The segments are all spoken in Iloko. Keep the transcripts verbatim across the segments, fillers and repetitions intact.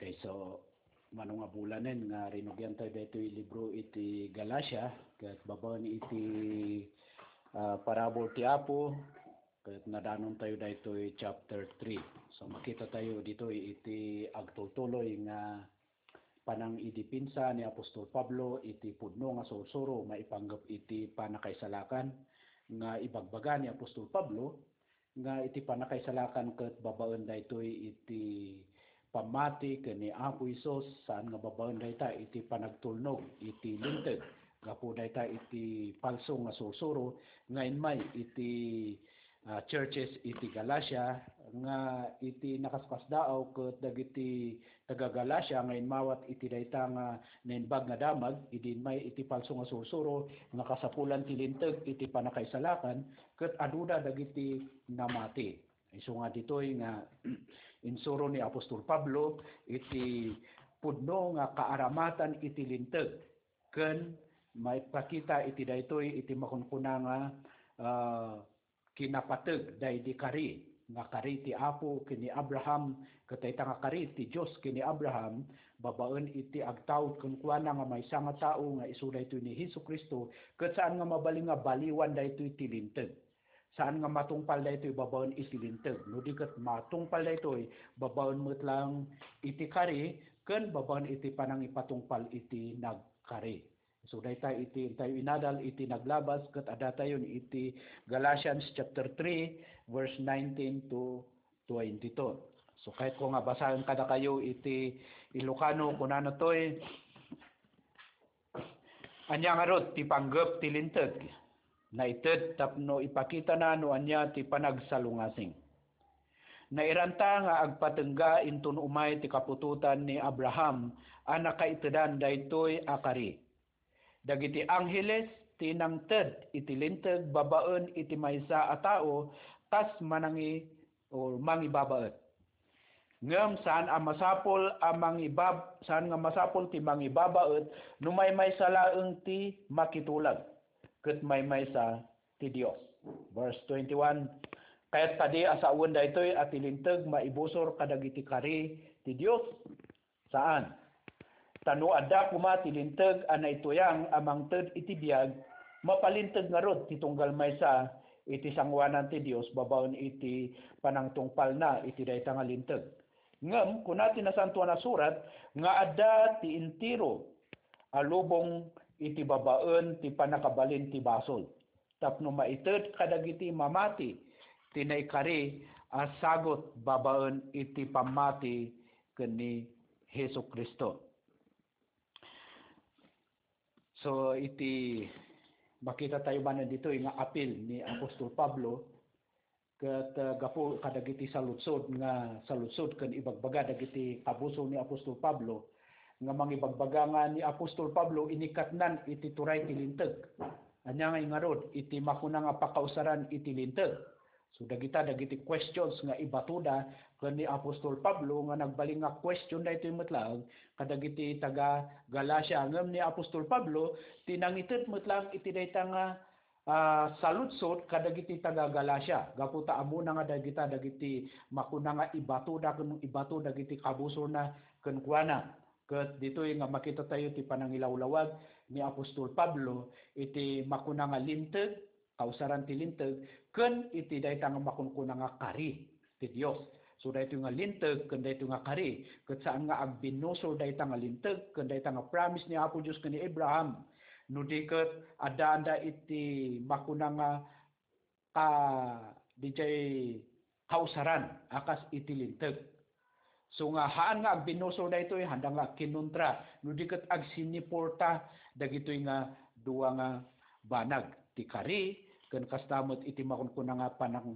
Okay, so, mano nga bulanen nga rinugian tayo daytoy libro iti Galacia, ket babaen iti, ah, parabur ti Apo, ket nadanon tayo daytoy chapter three. So, makita tayo ditoy iti agtultuloy nga panangidipinsa ni Apostol Pablo iti pudno nga sursuro maipanggep iti pannakaisalakan nga ibagbaga ni Apostol Pablo, nga iti pannakaisalakan ket babaen daytoy iti pammati ken ni Apo Jesus, saan nga babaen dayta iti panagtulnog iti Linteg gapu dayta iti palso nga sursuro nga immay iti, ah, churches iti Galacia, nga iti nakaskasdaaw ket dagiti taga-Galacia nga immawat iti dayta nga naimbag nga damag idi immay iti palso nga sursuro nga kasapulan ti Linteg iti pannakaisalakan, ket aduda dagiti namati. Isu nga ditoy nga insuro ni Apostol Pablo iti pudno nga kaaramatan iti Linteg ken maipakita iti daytoy iti makunkuna nga, ah, kinapateg daydi kari, nga kari ti Apo ken ni Abraham, ket dayta nga kari ti Dios ken ni Abraham, babaen iti agtaud kenkuana nga maysa nga tao nga isu daytoy ni Jesu-Cristo, ket saan nga mabalin nga baliwan daytoy ti Linteg. Saan nga matungpal daytoy babaen iti Linteg, no di ket matungpal daytoy babaen met lang iti kari ken babaen iti panangipatungpal iti nagkari. So, dayta iti intayo inadal iti naglabas ket addatayon iti Galatians chapter three, verse nineteen to twenty-two. So, kayatko nga basaen kadakayo iti Ilocano, kunana toy, ania ngarud ti panggep ti Linteg? Naited tapno ipakitana no ania ti panagsalungasing. Nairanta nga agpatengga inton umay ti kaputotan ni Abraham a nakaitedan daytoy a kari. Dagiti angheles ti nangted iti Linteg babaen iti maysa a tao kas manangi-, o mangibabaet. Ngem saan a masapul a mangibab-, saan nga masapul ti mangibabaet no maymaysa laeng ti makitulag, ket maymaysa ti Dios. Verse twenty-one, kayat kadi a sawen daytoy a ti Linteg maibusor kadagiti kari ti Dios? Saan. Ta no adda koma ti Linteg a naituyang a mangted iti biag, mapalinteg ngarud ti tunggal maysa iti sangoanan ti Dios babaen iti panangtungpalna iti dayta nga Linteg. Ngem kuna ti Nasantoan a Surat nga adda ti entero a lubong iti babaen ti pannakabalin ti basol, tapno maited kadagiti mamati ti naikari a sagut babaen iti pammati ken ni Jesu-Cristo. So, iti makita tayo manen ditoy nga apil ni Apostol Pablo, ket, ah, gapu kadagiti saludsod nga, saludsod ken ibagbaga dagiti kabusor ni Apostol Pablo, nga mangibagbaga nga ni Apostol Pablo inikatnan iti turay ti Linteg. Ania nga ingarud iti makuna nga pakausaran iti Linteg? So, dagita dagiti questions nga ibatoda ken ni Apostol Pablo nga nagbalin nga question daytoy met laeng kadagiti taga-Galacia. Ngem ni Apostol Pablo ti nangited met laeng iti dayta nga, ah, saludsod kadagiti taga-Galacia. Gapu ta ammona nga dagita dagiti makuna nga ibatoda ken ibato dagiti kabusorna kenkuana. Ket ditoy nga makita tayo ti panangilawlawag ni Apostol Pablo iti makuna nga Linteg, kausaran ti Linteg, ken iti dayta nga makunkuna nga kari ti Dios. So, daytoy nga Linteg ken daytoy nga kari, ket saan nga agbinnusor dayta nga Linteg ken dayta nga promise ni Apo Dios ken ni Abraham, no di ket addaanda iti makuna nga ka-, didiay kausaran a kas iti Linteg. So nga haan nga agbinnusor daytoy, haanda nga agkinuntra, no di ket agsiniporta dagitoy nga dua nga banag, ti kari, ken kasta met iti makunkuna nga panang-,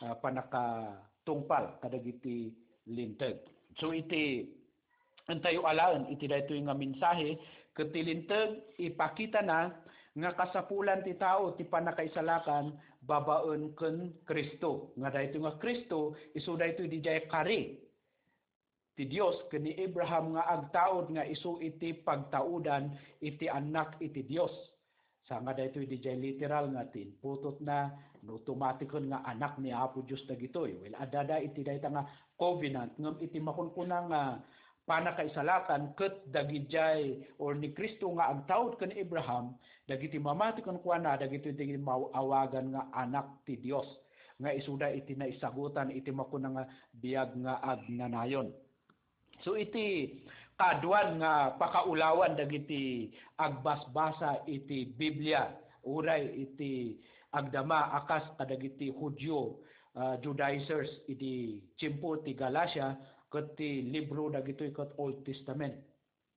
ah, pannakatungpal kadagiti Linteg. So iti intayo alaen iti daytoy nga mensahe, ket ti Linteg ipakitana nga kasapulan ti tao ti pannakaisalakan babaen ken Cristo. Nga daytoy nga Cristo, isu daytoy didiay kari ti Dios ken ni Abraham nga agtaud nga isu iti pagtaudan iti Annak iti Dios. Saan nga daytoy didiay literal nga ti imputotna, no tumatiken nga anak ni Apo Dios dagitoy. Well, addada iti dayta nga covenant, ngem iti makunkuna nga pannakaisalakan ket dagidiay or ni Cristo nga agtaud ken Abraham, dagiti mamati kenkuana, dagitoy ti maawagan nga anak ti Dios, nga isuda iti naisagutan iti makuna nga biag nga agnanayon. So, iti kaduan nga pakaulawan dagiti agbasbasa iti Biblia, uray iti agdama a kas kadagiti Judio, ah, Judaizers idi tiempo ti Galacia, ket ti libro dagitoy ket Old Testament.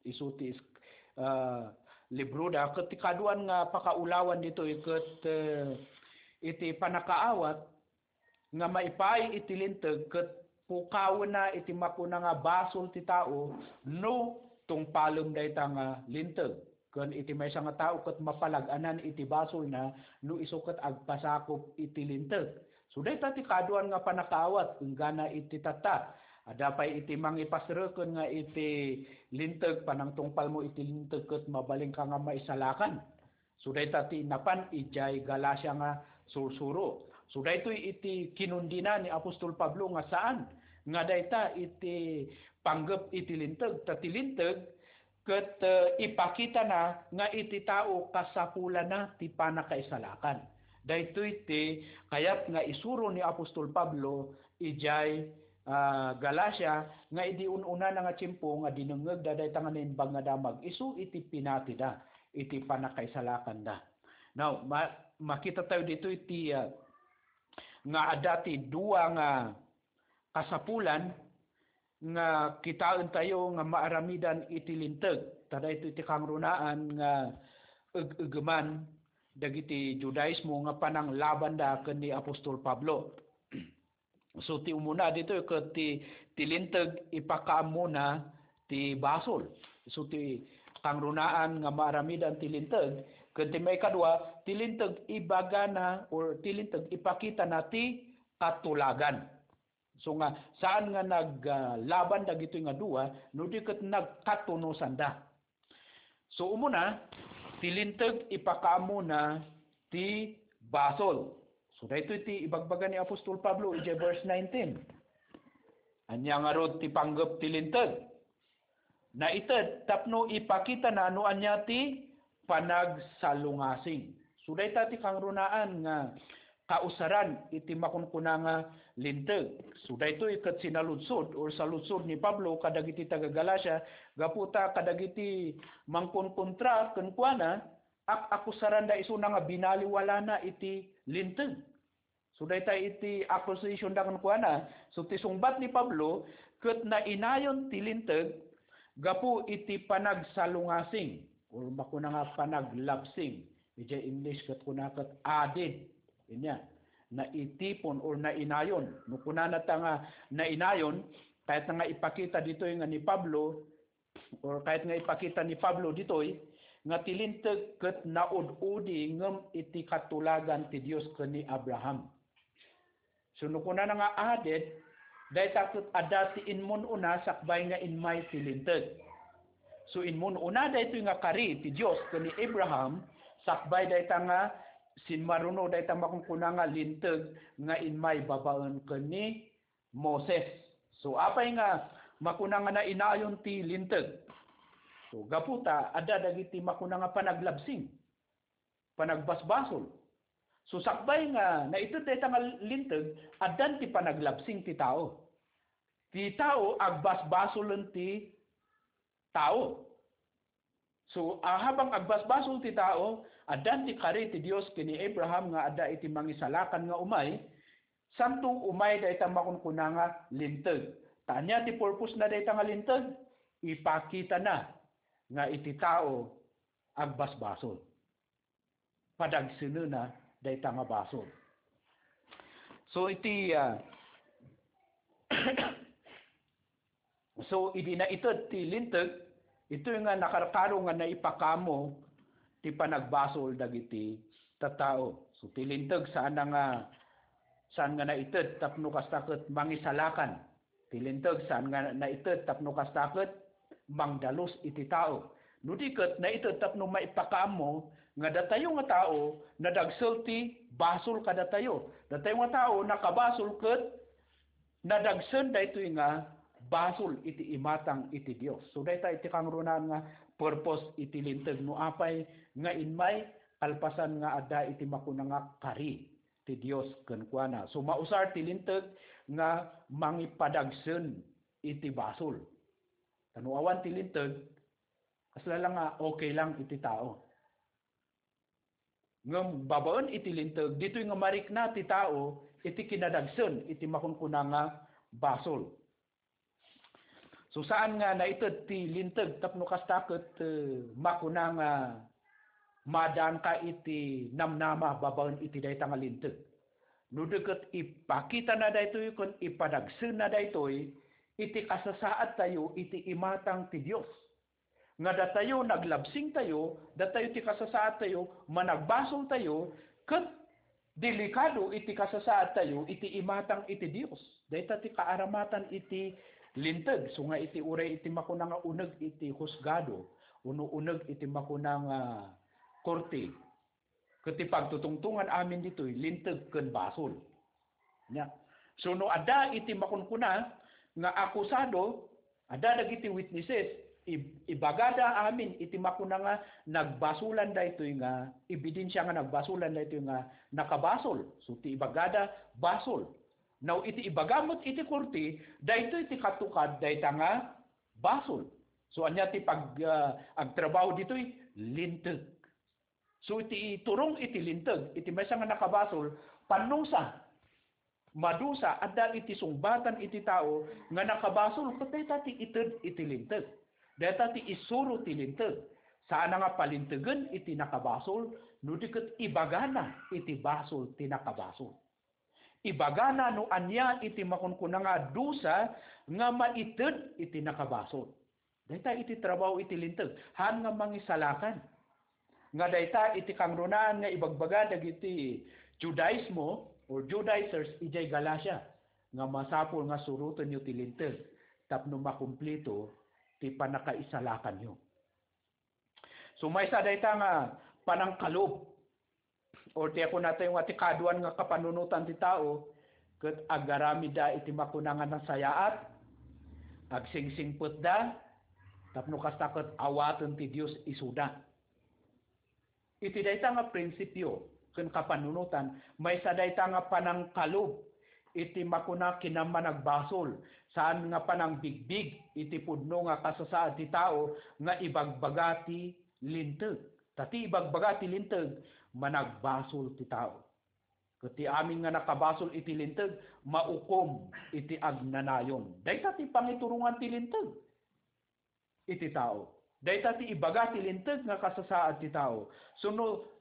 Isu ti is-, ah, libroda, ket ti kaduan nga pakaulawan ditoy ket, eh, iti pannakaawat nga maipaay iti Linteg ket pukawenna iti makuna nga basol ti tao no tungpalem dayta nga Linteg. Ken iti maysa nga tao ket mapalag-anan iti basolna no isu ket agpasakop iti Linteg. So, dayta ti kaduan nga pannakaawat enggana iti tatta. Adda pay iti mangipasreken nga iti Linteg, panangtungpalmo iti Linteg ket mabalinka nga maisalakan. So, dayta ti napan idiay Galacia nga sursuro. So, daytoy iti kinundina ni Apostol Pablo nga saan nga dayta iti panggep iti Linteg. Ta ti Linteg ket, eh, ipakitana nga iti tao kasapulanna ti pannakaisalakan. Daytoy ti kayat nga isuro ni Apostol Pablo idiay, ah, Galacia, nga idi un-unana nga tiempo nga dinengngegda dayta nga naimbag nga damag isu iti pinatida iti pannakaisalakanda. Now, ma-, makita tayo ditoy ti, ah, nga adda ti dua nga kasapulan nga kitaentayo nga maaramidan iti Linteg. Ta daytoy ti kangrunaan nga eg-egeman dagiti Judaismo nga pananglabanda ken ni Apostol Pablo. So, ti umuna ditoy ket ti, ti Linteg ipakaammona ti basol. So, ti kangrunaan nga maaramidan ti Linteg, ken ti maikadua, ti Linteg ibagana or ti Linteg ipakitana ti katulagan. So nga, saan nga nag, ah, laban dagitoy nga dua, no di ket nagkatunusanda. So umuna, ti Linteg ipakaammona ti basol. So daytoy ti ibagbaga ni Apostol Pablo idiay verse nineteen. Ania ngarud ti panggep ti Linteg? Naited tapno ipakitana no ania ti panagsalungasing. So dayta ti kangrunaan nga kausaran iti makunkuna nga Linteg. So daytoy ket sinaludsod or saludsod ni Pablo kadagiti taga-Galacia gapu ta kadagiti mangkonkontra kenkuana, ak-akusaranda isuna nga binaliwalana iti Linteg. So dayta iti accusation da kenkuana. So ti sungbat ni Pablo ket nainayon ti Linteg gapu iti panagsalungasing or makuna nga panaglabsing. Idiay English ket kuna ket added. Inya, naitipon or nainayon. No kunana ta nga nainayon, kayat nga ipakita ditoy nga ni Pablo, or kayat nga ipakita ni Pablo ditoy, nga ti Linteg ket naud-udi ngem iti katulagan ti Dios ken ni Abraham. So no kunana nga added, dayta ket adda ti immun-una sakbay nga immay ti Linteg. So immun-una daytoy nga kari ti Dios ken ni Abraham, sakbay dayta nga sinmaruno dayta makunkuna nga Linteg nga immay babaen ken ni Moses. So, apay nga makuna nga nainayon ti Linteg? So, gapu ta adda dagiti makuna nga panaglabsing, panagbasbasol. So, sakbay nga naited dayta nga Linteg, addan ti panaglabsing ti tao. Ti tao, agbasbasolen ti tao. So, a, habang agbasbasol ti tao, addan ti kari ti Dios ken ni Abraham nga adda iti mangisalakan nga umay, santo umay dayta makunkuna nga Linteg. Ta ania ti purpose na dayta nga Linteg? Ipakitana nga iti tao agbasbasol. Padagsenena dayta nga basol. So, iti, ah, So, idi naited ti Linteg, itoy nga nakarkaro nga naipakaammo ti panagbasol dagiti tattao. So, ti Linteg saan nga, saan nga naited tapno kasta ket mangisalakan. Ti Linteg saan nga naited tapno kasta ket mangdalus iti tao. No di ket naited tapno maipakaammo nga datayo nga tao, nadagsel ti basol kadatayo. Datayo nga tao, nakabasol ket nadagsen daytoy nga basol iti imatang iti Dios. So, dayta iti kangrunaan nga purpose iti Linteg. No apay nga immay, kalpasan nga adda iti makuna nga kari ti Dios kenkuana. So, mausar ti Linteg nga mangipadagsen iti basol. Ta no awan ti Linteg, kasla lang nga okay lang iti tao. Ngem babaen iti Linteg, ditoy nga marikna ti tao iti kinadagsen iti makunkuna nga basol. So, saan nga naited ti Linteg tapno kasta ket, eh, makuna nga madaanka iti namnama babaen iti dayta nga Linteg. No di ket ipakitana daytoy ken ipadagsenna daytoy iti kasasaadtayo iti imatang ti Dios. Nga datayo naglabsingtayo, datayo ti kasasaadtayo, managbasoltayo, ket delikado iti kasasaadtayo iti imatang iti Dios. Dayta ti kaaramatan iti Linteg, so nga iti uray iti makuna nga uneg iti husgado, uno uneg iti makuna nga korte. Ket ti pagtutungtongan amin ditoy, Linteg ken basol. Nya, so no adda iti makunkuna nga akusado, adda dagiti witnesses, ib-, ibagada amin iti makuna nga nagbasolan daytoy nga ebidensia nga nagbasolan daytoy nga nakabasol. So ti ibagada, basol. Now, iti ibaga met iti korte, daytoy ti katukad dayta nga basol. So ania ti pag-, ah, agtrabaho ditoy? Linteg. So, iti iturong iti Linteg, iti maysa nga nakabasol, panusa, madusa, adda iti sungbatan iti tao nga nakabasol, ket dayta ti ited iti Linteg. Dayta ti isuro ti Linteg. Saan nga palintegen iti nakabasol, no di ket ibagana iti basol ti nakabasol. Ibagana no ania iti makunkuna nga dusa nga maited iti nakabasol. Dayta iti trabaho iti Linteg, haan nga mangisalakan. Nga dayta iti kangrunaan nga ibagbaga dagiti Judaismo or Judaizers idiay Galacia, nga masapul nga surotenyo ti Linteg tapno makumplito ti pannakaisalakanyo. So, maysa dayta nga panangkalob, or ti kunatayo nga ti kaduan nga kapanunotan ti tao, ket agaramidda iti makuna nga nasayaat, agsingsingpetda, tapno kasta ket awaten ti Dios isuda. Iti dayta nga prinsipio ken kapanunotan, maysa dayta nga panangkalob iti makuna kinamanagbasol, saan nga panangbigbig iti pudno nga kasasaad ti tao nga ibagbaga ti Linteg. Ta ti ibagbaga ti Linteg, managbasol ti tao. Ket ti amin nga nakabasol iti Linteg, maukom iti agnanayon. Dayta ti pangiturongan ti Linteg iti tao. Dayta ti ibaga ti Linteg nga kasasaad ti tao. So, no,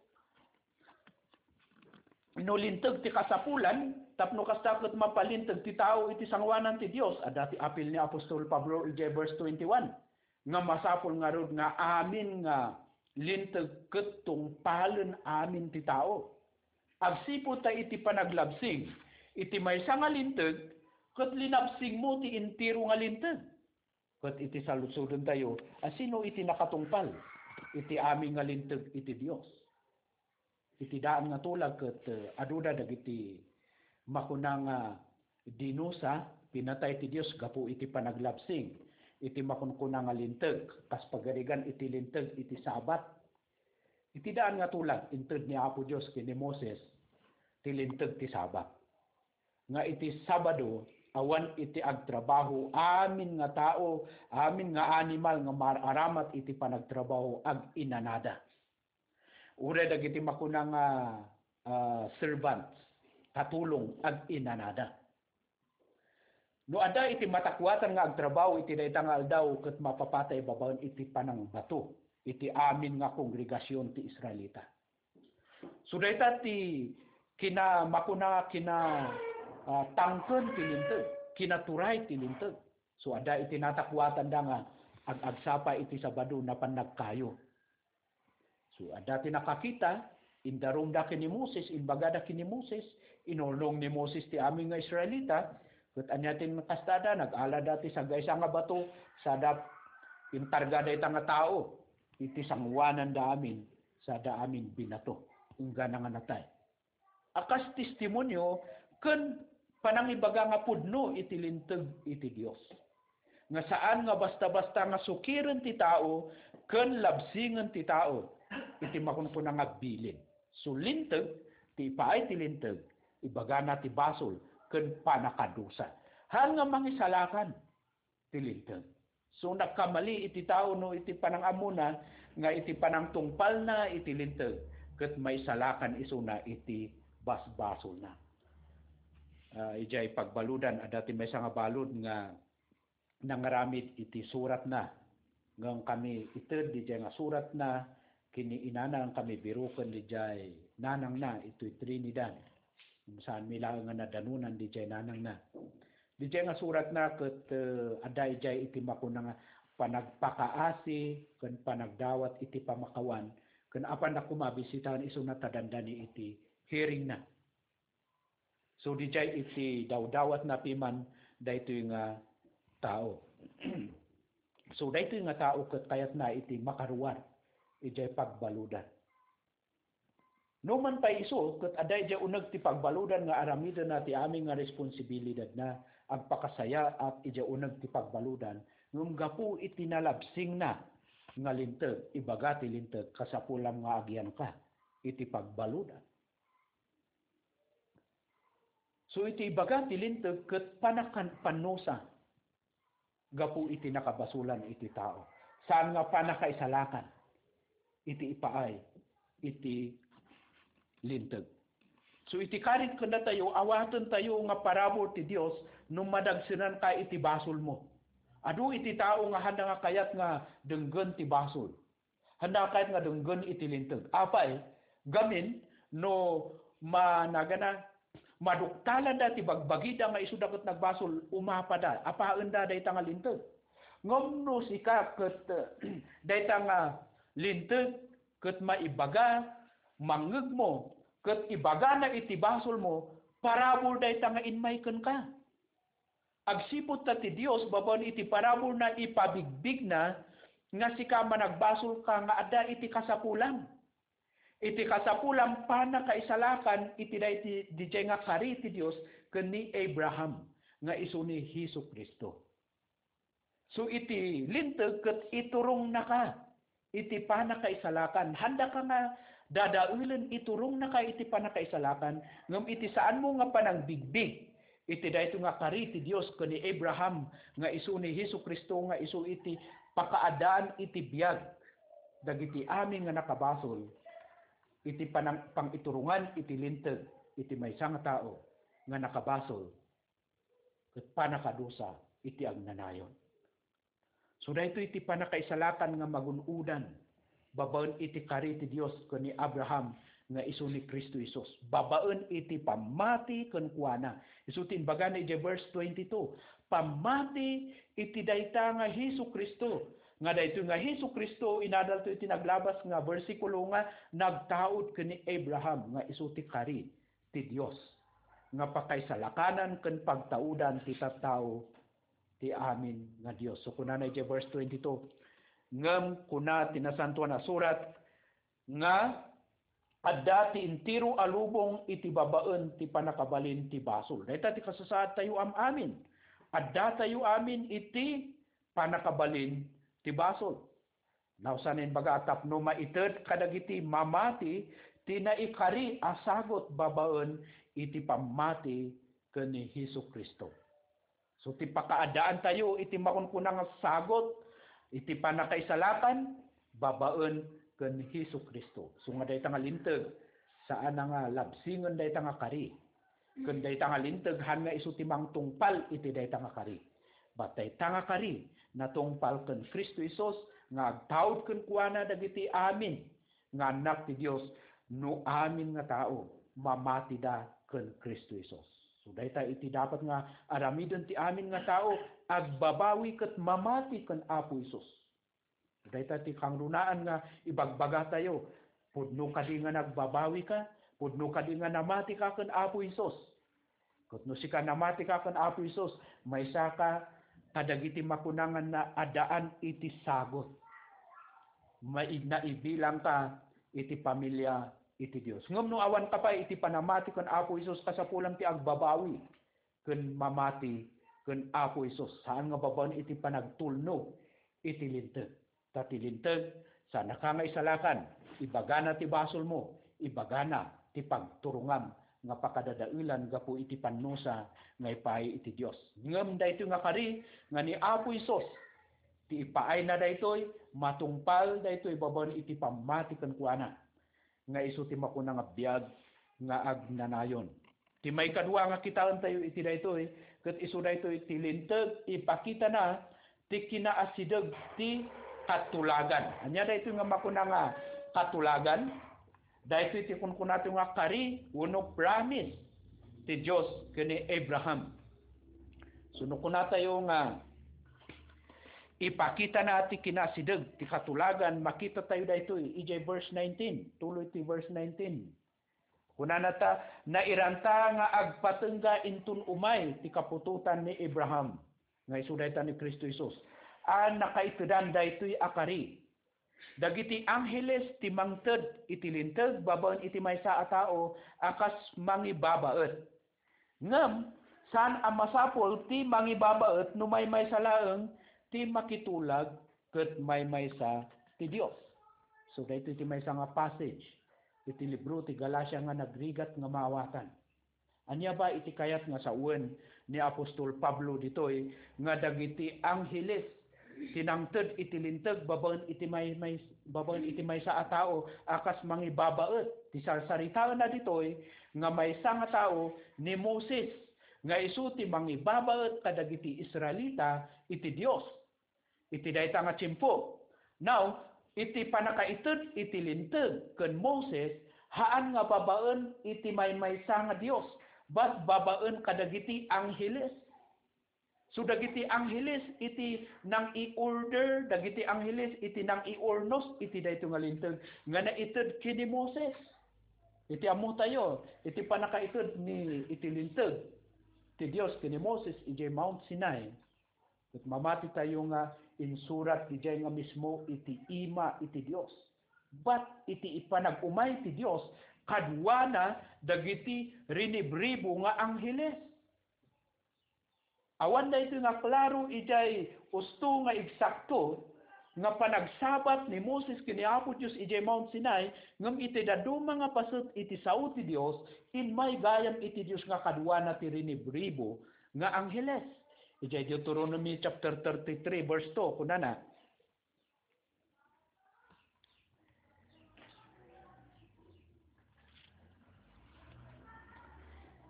no Linteg ti kasapulan, tapno kasta ket mapalinteg ti tao iti sangoanan ti Dios, adda ti apil ni apostol Pablo idiay verse twenty-one, nga masapul ngarud nga amin nga Linteg ket tungpalen amin ti tao. Agsipud ta iti panaglabsing iti maysa nga Linteg, ket linabsingmo ti entero nga Linteg. Ket iti saludsodentayo, a sino iti nakatungpal iti amin nga Linteg iti Dios? Iti daan nga tulag ket, eh, aduda dagiti makuna nga dinusa, pinatay ti Dios gapu iti panaglabsing iti makunkuna nga Linteg, kas pagarigan iti Linteg iti Sabat. Iti daan nga tulag, inted ni Apo Dios ken ni Moses ti Linteg ti Sabat. Nga iti Sabado, awan iti agtrabaho, amin nga tao, amin nga animal nga maaramat iti panagtrabaho, ag-inanada. Uray dagiti makuna nga, ah, servants, katulong, ag-inanada. No adda iti matakuatan nga agtrabaho iti dayta nga aldaw, ket mapapatay babaen iti panangbato iti amin nga kongregasion ti Israelita. So, dayta ti kina-, makuna kina, ah, tangken ti Linteg, kinaturay ti Linteg. So, adda iti natakuatanda nga ag-agsapa iti Sabado, napan nagkayo. So, adda ti nakakita, indarumda ken ni Moses, imbagada ken ni Moses, inurnong ni Moses ti amin nga Israelita, ket ania ti nakastada, nag-alada ti sagaysa nga bato, sada intarga dayta nga tao iti sangoananda amin, sada amin binato, inggana nga natay. A kas testimonio ken panangibaga nga pudno iti Linteg iti Dios. nga saan nga basta-basta nga sukiren ti tao ken labsingen ti tao iti makunkuna nga bilin. So, linteg, ti ipaay ti linteg, ibagana ti basol ken panakadusa. Haan nga mangisalakan ti linteg. So, nagkamali iti tao no iti panangammona nga iti panangtungpalna iti linteg ket maisalakan isuna iti basbasolna. Ah, idiay pagbaludan, adda ti maysa nga balud nga nangaramid iti suratna. Ngem kami ited didiay nga suratna ken ni inana, ngem kami biroken didiay nanangna itoy Trinidad. Saanmi laeng nga nadanunan didiay nanangna. Didiay nga suratna ket, eh, adda idiay iti makuna nga panagpakaasi ken panagdawat iti pamakawan ken apanna koma bisitaen isuna ta dandani iti hearingna. So, didiay iti dawdawatna piman daytoy nga tao. So, daytoy nga tao ket kayatna iti makaruar idiay pagbaludan. No man pay isu, ket adda idiay uneg ti pagbaludan nga aramidenna ti amin nga responsibilidadna, agpakasayaat idiay uneg ti pagbaludan, ngem gapu iti nalabsingna nga linteg, ibaga ti linteg, kasapulam nga agiyanka iti pagbaludan. So, iti ibaga ti linteg ket panakan-, pannusa gapu iti nakabasolan iti tao. Saan nga panakaisalakan iti ipaay iti linteg. So, iti karit kennatayo, awatentayo nga parabur ti Dios no madagsenanka iti basolmo. Adu iti tao nga haanda nga kayat nga denggen ti basol. Haanda kayat nga denggen iti linteg. Apay, gamin, no managana, maduktalanda ti bagbagida nga isuda ket nagbasol, umapada, apaenda dayta nga linteg. Ngem no sika ket, dayta nga linteg ket maibaga, mangngegmo, ket ibagana iti basolmo, parabur dayta nga immay kenka. Agsipud ta ti Dios, babaen iti paraburna, ipabigbigna nga sika a managbasolka nga adda iti kasapulam. Iti kasapulam, panakaisalakan iti daydi-, didiay nga kari ti Dios ken ni Abraham nga isu ni Jesu-Cristo. So, iti linteg ket iturongnaka iti panakaisalakan. Haandaka nga dadaelen, iturongnaka iti panakaisalakan, ngem iti saanmo nga panangbigbig iti daytoy nga kari ti Dios ken ni Abraham nga isu ni Jesu-Cristo nga isu iti pakaadaan iti biag dagiti amin nga nakabasol iti panang-, pangiturongan iti linteg iti maysa nga tao nga nakabasol ket panakadusa iti agnanayon. So, daytoy ti panakaisalakan nga magun-odan babaen iti kari ti Dios ken ni Abraham nga isu ni Cristo Jesus, babaen iti pammati kenkuana. Isu ti imbagana idiay verse twenty-two, pammati iti dayta nga Jesu-Cristo, nga daytoy nga Jesu-Cristo, inadalto iti naglabas nga bersikulo nga nagtaud ken ni Abraham nga isu ti kari ti Dios nga pakaisalakanan ken pagtaudan ti tattao ti amin nga Dios. So, kunana idiay verse twenty-two, ngem kuna ti Nasantoan a Surat nga adda ti entero a lubong iti babaen ti pannakabalin ti basol. Dayta ti kasasaadtayo am-amin. Addatayo amin iti pannakabalin ti basol. Nausan imbaga a tapno maited kadagiti mamati ti naikari a sagut babaen iti pammati ken ni Jesu-Cristo. So, ti pakaaddaantayo iti makunkuna nga sagut iti pannakaisalakan babaen ken ni Jesu-Cristo. So, nga dayta nga linteg, saan a nga labsingen dayta nga kari. Ken dayta nga linteg, haan nga isu ti mangtungpal iti dayta nga kari. Bat dayta nga kari, natungpal ken Cristo Jesus nga agtaud kenkuana dagiti amin nga annak ti Dios, no amin nga tao mamatida ken Cristo Jesus. So, dayta iti dapat nga aramiden ti amin nga tao, agbabawi ket mamati ken Apo Jesus. Dayta ti kangrunaan nga ibagbagatayo, pudno kadi nga nagbabawika? Pudno kadi nga namatika ken Apo Jesus? Ket no sika namatika ken Apo Jesus, maysaka kadagiti makuna nga naaddaan iti sagut. Mai-, naibilangka iti pamilia iti Dios. Ngem no awanka pay iti panamati ken Apo Jesus, kasapulam ti agbabawi ken mamati ken Apo Jesus, saan nga babaen iti panagtulnog iti Linteg. Ta ti Linteg, saannaka nga isalakan, ibagana ti basolmo, ibagana ti pagturongam nga pakadadaelan gapu iti pannusa nga ipaay iti Dios. Ngem daytoy nga kari nga ni Apo Jesus, ti ipaayna daytoy, matungpal daytoy babaen iti pammati kenkuana, nga isu ti makuna nga biag nga agnanayon. Ti maikadua nga kitaentayo iti daytoy, ket isu daytoy ti Linteg, ipakitana ti kinaasideg ti katulagan. Ania daytoy nga makuna nga katulagan? Daytoy ti kunkunatayo nga kari wenno promise ti Dios ken ni Abraham. So, no kunatayo nga ipakitana ti kinaasideg ti katulagan, makitatayo daytoy idiay verse nineteen, tuloy ti verse nineteen. Kunana ta, nairanta nga agpatengga inton umay ti kaputotan ni Abraham, nga isu dayta ni Cristo Jesus, a nakaitedan daytoy a kari. Dagiti angheles ti mangted iti Linteg babaen iti maysa a tao a kas mangibabaet. Ngem saan a masapul ti mangibabaet no maymaysa laeng ti makitulag ket maymaysa ti Dios. So, daytoy ti maysa nga passage iti libro ti Galacia nga nagrigat nga maawatan. Ania ba iti kayat nga sawen ni Apostol Pablo ditoy nga dagiti angheles ti nangted iti Linteg babaen iti may, may, babaen iti maysa a tao a kas mangibabaet? Ti sarsaritaenna ditoy nga maysa nga tao ni Moses, nga isu ti mangibabaet kadagiti Israelita iti Dios iti dayta nga tiempo. Now, iti pannakaited iti Linteg ken Moses, haan nga babaen iti maymaysa nga Dios, but babaen kadagiti angheles. So, dagiti angheles iti nang-i-order, dagiti angheles iti nang-iurnos iti daytoy nga Linteg nga naited ken ni Moses. Iti ammotayo, iti pannakaited ni, iti Linteg ti Dios ken ni Moses idiay Mount Sinai, ket mamatitayo nga insurat idiay nga mismo iti ima iti Dios. But iti ipanag-umay ti Dios kaduana dagiti rinibribo nga angheles. Awan daytoy nga klaro idiay usto nga eksakto nga panagsabat ni Moses ken ni Apo Dios idiay Mount Sinai, ngem iti dadduma nga paset iti sao ti Dios, immay gayam iti Dios nga kaduana ti rinibribo nga angheles. Idiay Deuteronomy chapter thirty-three, verse two, kunana,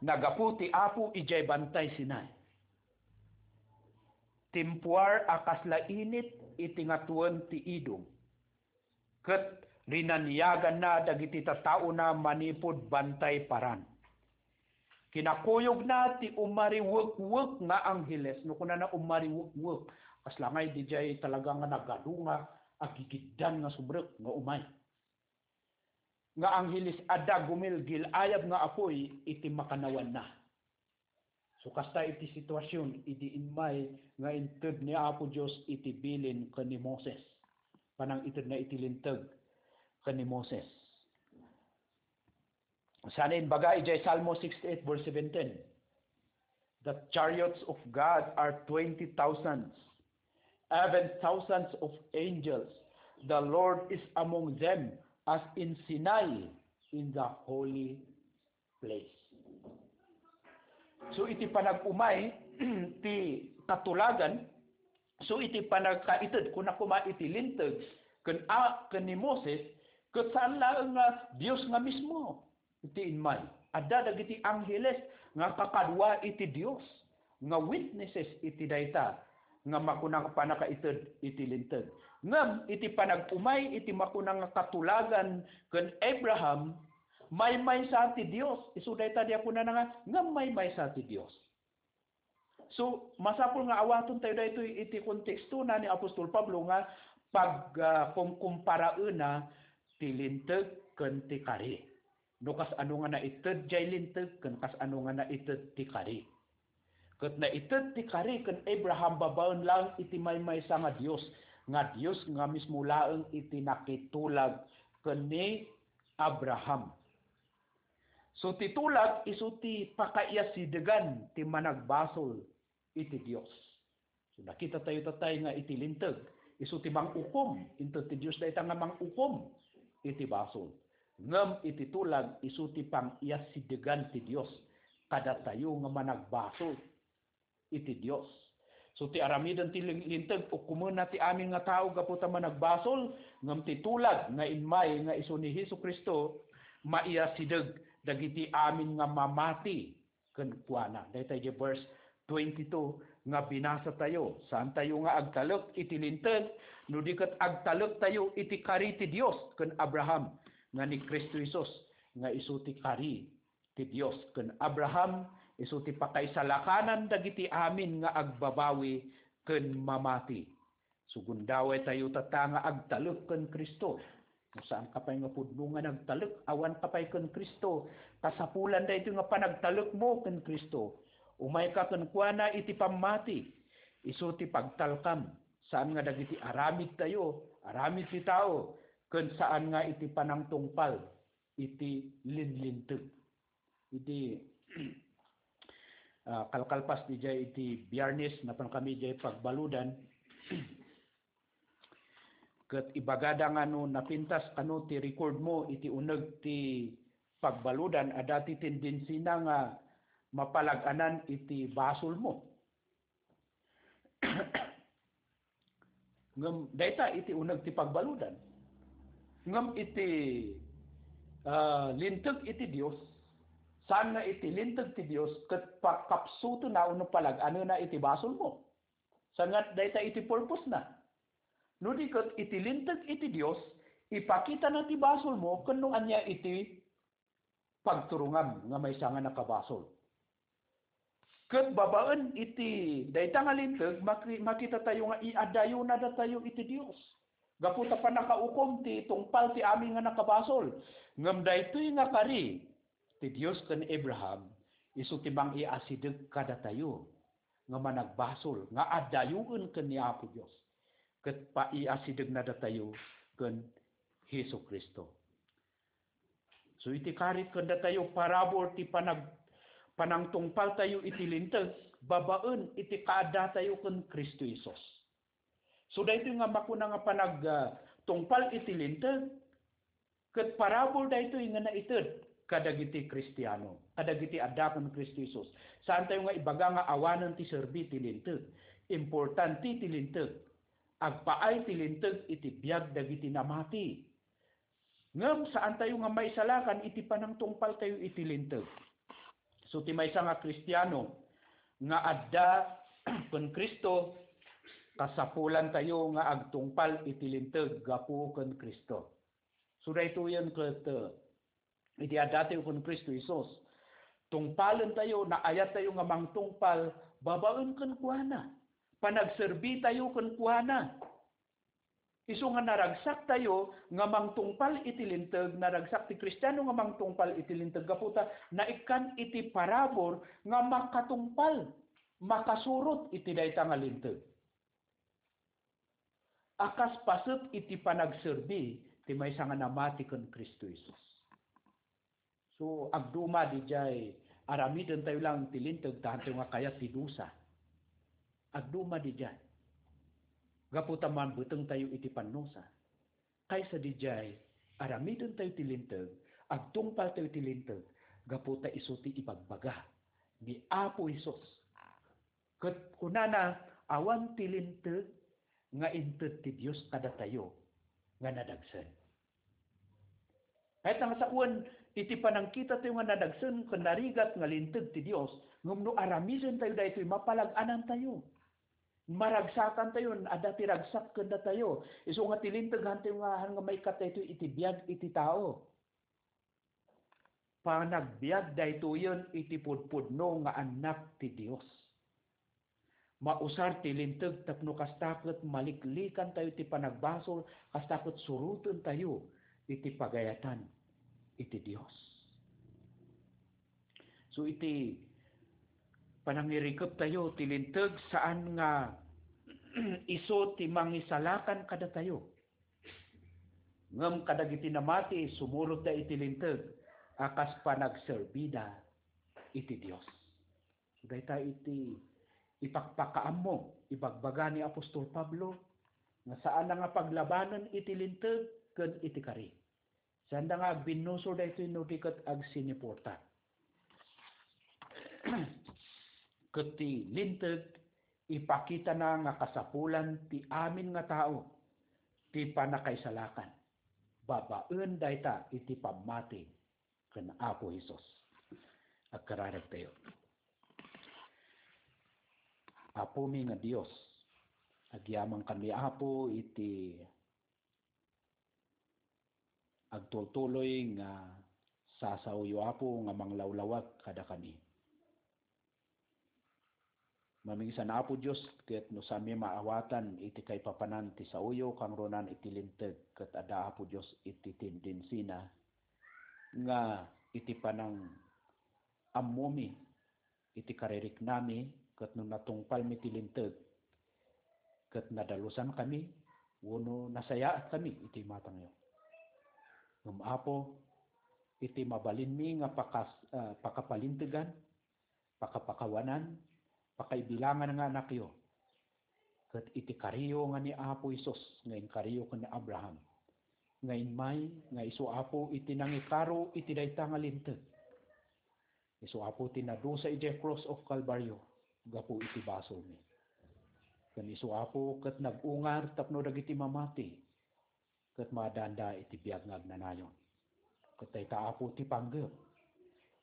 Nagapu ti Apo idiay Bantay Sinai. Timpuar a kasla init iti ngatuen ti Edom, ket rinaniaganna dagiti tattaona manipud Bantay Paran. Kinakuyogna ti umariwekwek nga angheles. No kunana umariwekwek, kasla ngay didiay talaga nga nagadu nga agigiddan nga subrek nga umay. Nga angheles, adda gumilgil-ayab nga apuy iti makanawanna. So, kasta iti situasion idi immay nga inted ni Apo Dios iti bilin ken ni Moses. Panangitedna iti Linteg ken ni Moses. Saan imbaga idiay Salmo sixty-eight verse seventeen, "The chariots of God are twenty thousands, even thousands of angels. The Lord is among them as in Sinai, in the holy place." So, iti panag-umay ti katulagan, so, iti panagkaited, kuna koma iti Linteg, ken a, ken ni Moses, ket saan laeng nga Dios nga mismo iti immay. Adda dagiti angheles nga kakadua iti Dios, nga witnesses iti dayta nga makuna nga pannakaited iti Linteg. Ngem iti panag-umay iti makuna nga katulagan ken Abraham, maymaysa ti Dios. Isu dayta di a kunana nga, ngem maymaysa ti Dios. So, masapul nga awatontayo daytoy iti kontekstona ni Apostol Pablo nga pag, ah, kumkumparaenna ti Linteg ken ti kari. No kasano nga naited jay Linteg ken kasano nga naited ti kari. Ket naited ti kari ken Abraham babaen laeng iti maymaysa nga Dios, nga Dios nga mismo laeng iti nakitulag ken ni Abraham. So, ti tulag isu ti pakaiasidegan ti managbasol iti Dios. So, nakita tayo tatay nga iti Linteg, isu ti mangukom, inted ti Dios dayta nga mangukom iti basol. Ngem iti tulag, isu ti pang-iasidegan ti Dios kadatayo nga managbasol iti Dios. So, ti aramiden ti ling-, Linteg, ukomenna ti amin nga tao gapu ta managbasol, ngem ti tulag nga immay nga isu ni Jesu-Cristo, maiasideg dagiti amin nga mamati kenkuana. Dayta idiay verse twenty-two nga binasa tayo. Saan tayo nga agtalek iti Linteg, no di ket agtalek tayo iti kari ti Dios ken Abraham nga ni Cristo Jesus, nga isu ti kari ti Dios ken Abraham, isu ti pakaisalakanan dagiti amin nga agbabawi ken mamati. So, gundaway tayo tatta nga agtalek ken Cristo. No saan ka pay nga pudno nga nagtalek, awan ka pay ken Cristo, kasapulan daytoy nga panagtalekmo ken Cristo. Umayka kenkuana iti pammati, isu ti pagtalkam, saan nga dagiti aramid tayo, aramid ti tao, ken saan nga iti panangtungpal iti linlinteg. Iti, ah, kalkalpas didiay iti Biyernes, napan kami diay pagbaludan. Ket ibagada nga no napintas kano ti record mo iti uneg ti pagbaludan, adda ti tendensina nga mapalag-anan iti basolmo. Ngem dayta iti uneg ti pagbaludan. Ngem iti, ah, linteg iti Dios, saan nga iti linteg ti Dios ket pakapsutena wenno palag-anena iti basolmo. Saan nga dayta iti purpose-na. No di ket iti linteg iti Dios, ipakitana ti basolmo ken no ania iti pagturongam nga maysa nga nakabasol. Ket babaen iti dayta nga linteg, maki-, makitatayo nga iadayonadatayo iti Dios. Gapu ta pannakaukom ti tungpal ti amin nga nakabasol. Ngem daytoy nga kari ti Dios ken Abraham, isu ti mangiasideg kadatayo nga managbasol nga adayoen ken ni Apo Dios, ket paiasidegnadatayo ken Jesu-Cristo. So, iti karit kadatayo, parabur ti panag-, panangtungpaltayo iti linteg babaen iti kaaddatayo ken Cristo Jesus. So, daytoy nga makuna nga panag-, ah, tungpal iti linteg, ket parabur daytoy nga naited kadagiti Kristiano, kadagiti adda ken Cristo Jesus. Saantayo nga ibaga nga awanen ti serbi ti linteg. Importante ti linteg. Agpaay ti linteg iti biag dagiti namati. Ngem saantayo nga maisalakan iti panangtungpaltayo iti linteg. So, ti maysa nga Kristiano nga adda ken Cristo, kasapulantayo nga agtungpal iti linteg gapu ken Cristo. So, daytoyen ket, uh, idi addatayo ken Cristo Jesus, tungpalentayo, naayattayo nga mangtungpal babaen kenkuana. Panagserbitayo kenkuana. Isu nga naragsaktayo nga mangtungpal iti linteg, naragsak ti Kristiano nga mangtungpal iti linteg gapu ta naikkan iti parabur nga makatungpal, makasurot iti dayta nga linteg. A kas paset iti panagserbi ti maysa nga namati ken Cristo Jesus. So, agduma didiay, aramidentayo lang ti linteg ta hantayo nga kayat ti dusa. Agduma didiay. Gapu ta mambetengtayo iti pannusa. Kaysa didiay, aramidentayo ti linteg, agtungpaltayo ti linteg, gapu ta isu ti ibagbaga ni Apo Jesus. Ket kunana, awan ti linteg nga inted ti Dios kadatayo nga nadagsen. Kayat nga sawen, iti panangkitatayo nga nadagsen ken narigat nga linteg ti Dios, ngem no aramidentayo daytoy, mapalag-anantayo. Maragsakantayo, adda ti ragsak ken datayo. Isu nga ti linteg, hantayo nga, han nga maikkat daytoy iti biag iti tao. Panagbiag daytoyen iti pudpudno nga annak ti Dios. Mausar ti linteg tapno kasta ket maliklikantayo ti panagbasol, kasta ket surotentayo iti pagayatan iti Dios. So, iti panangirikeptayo ti linteg, saan nga isu ti mangisalakan kadatayo. Ngem kadagiti namati, sumurotda iti linteg a kas panagserbida iti Dios. Dayta iti ipakpakaammo, ibagbaga ni apostol Pablo nga saanna nga paglabanen iti linteg ken iti kari. Saanda nga agbinnusor daytoy no di ket agsiniporta. Ket ti linteg, ipakitana nga kasapulan ti amin nga tao ti pannakaisalakan babaen dayta iti pammati ken Apo Jesus. Agkararagtayo. Apomi nga Dios, agyamankami, Apo, iti agtultuloy nga sasaoyo, Apo, nga manglawlawag kadakami. Mamingsan, Apo Dios, ket no saanmi maawatan iti kaipapanan ti saoyo, kangrunan iti linteg, ket adda, Apo Dios, iti tendensina nga iti panang-ammomi iti kaririknami, ket no natungpalmi ti linteg, ket nadalusankami wenno nasayaatkami iti imatangyo. Ngem, Apo, iti mabalinmi nga pakas-, ah, pakapalintegan, pakapakawanan, pakaibilangan nga anakyo, ket iti kariyo nga ni Apo Jesus nga inkariyo ken ni Abraham, nga immay nga isu, Apo, iti nangikaro iti dayta nga linteg. Isu, Apo, ti nadusa idiay cross of Calvario gapu iti basolmi. Ken isu, Apo, ket nag-ungar tapno dagiti mamati ket maadanda iti biag nga agnanayon. Ket dayta, Apo, ti panggep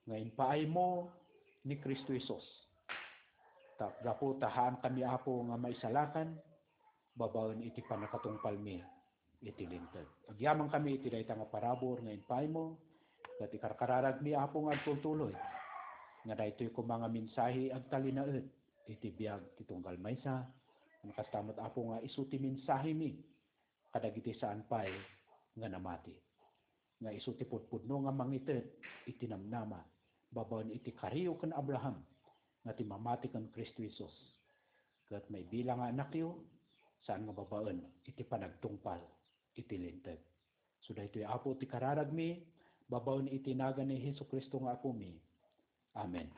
nga impaaymo ni Cristo Jesus. Ta gapu ta haankami, Apo, nga maisalakan babaen iti pannakatungpalmi iti linteg. Agyamankami iti dayta nga parabur nga impaaymo, ket ikarkararagmi, Apo, nga agtultuloy nga daytoy koma nga mensahe agtalinaed iti biag ti tunggal maysa, ken kasta met, Apo, nga isu ti mensahemi kadagiti saan pay nga namati, nga isu ti pudpudno nga mangited iti namnama babaen iti kariyo ken Abraham nga ti mamati ken Cristo Jesus, ket maibilang nga anakyo, saan nga babaen iti panagtungpal iti linteg. So daytoy, Apo, ti kararagmi babaen iti nagan ni Jesu-Cristo nga Apomi. Amen.